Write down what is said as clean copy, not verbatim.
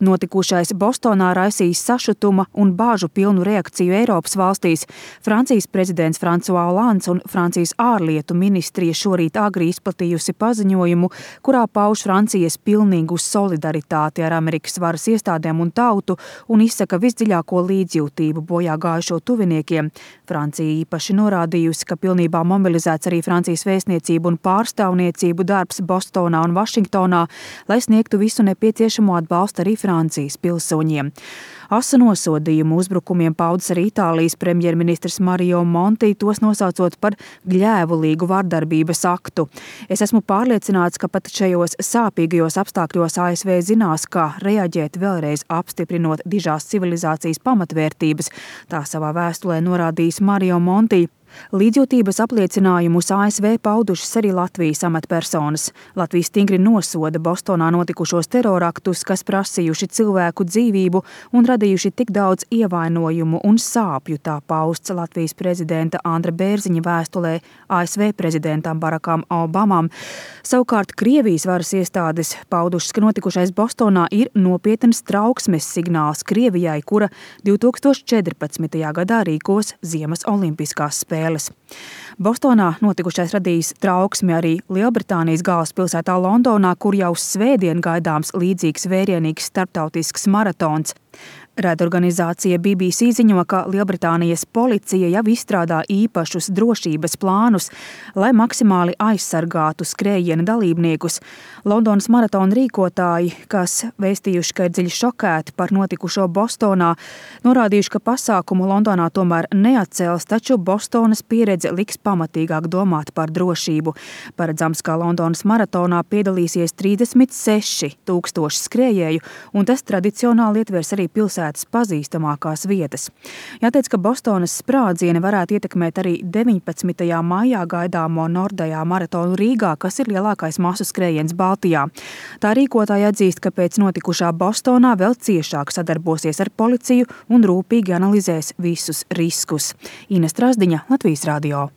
Notikušais Bostonā raisīs sašutuma un bāžu pilnu reakciju Eiropas valstīs. Francijas prezidents François Hollands un Francijas ārlietu ministrija šorīt agri izplatījusi paziņojumu, kurā pauž Francijas pilnīgu solidaritāti ar Amerikas varas iestādēm un tautu un izsaka visdziļāko līdzjūtību bojā gājušo tuviniekiem. Francija īpaši norādījusi, ka pilnībā mobilizēts arī Francijas vēstniecību un pārstāvniecību darbs Bostonā un Vašingtonā, lai sniegtu visu nepieciešamo atbalstu arī Francijas pilsoņiem. Asu nosodījumu uzbrukumiem paudis arī Itālijas premjerministrs Mario Monti, tos nosaucot par gļēvulīgu vardarbības aktu. Es esmu pārliecināts, ka pat šajos sāpīgajos apstākļos ASV zinās, kā reaģēt, vēlreiz apstiprinot dižās civilizācijas pamatvērtības, tā savā vēstulē norādījis Mario Monti. Līdzjūtības apliecinājumus ASV paudušas arī Latvijas amatpersonas. Latvija stingri nosoda Bostonā notikušos teroraktus, kas prasījuši cilvēku dzīvību un radījuši tik daudz ievainojumu un sāpju, tā pausts Latvijas prezidenta Andra Bērziņa vēstulē ASV prezidentam Barakam Obamam. Savukārt Krievijas varas iestādes paudušas, ka notikušais Bostonā ir nopietns trauksmes signāls Krievijai, kura 2014. gadā rīkos Ziemas olimpiskās spēles. Bostonā notikušais radījis trauksmi arī Lielbritānijas galvaspilsētā Londonā, kur jau svētdien gaidāms līdzīgs vērienīgs starptautisks maratons. Raidorganizācija BBC ziņo, ka Lielbritānijas policija jau izstrādā īpašus drošības plānus, lai maksimāli aizsargātu skrējiena dalībniekus. Londonas maratona rīkotāji, kas vēstījuši, ka ir dziļi šokēti par notikušo Bostonā, norādījuši, ka pasākumu Londonā tomēr neatcels, taču Bostonas pieredze liks pamatīgāk domāt par drošību. Paredzams, ka Londonas maratonā piedalīsies 36 000 skrējēju, un tas tradicionāli ietvers arī pilsētas pazīstamākās vietas. Jāteic, ka Bostonas sprādzieni varētu ietekmēt arī 19. maijā gaidāmo Nordajā maratonu Rīgā, kas ir lielākais masu skrējiens Baltijā. Tā rīkotāja atzīst, ka pēc notikušā Bostonā vēl ciešāk sadarbosies ar policiju un rūpīgi analizēs visus riskus. Ines Trasdiņa, Latvijas radio.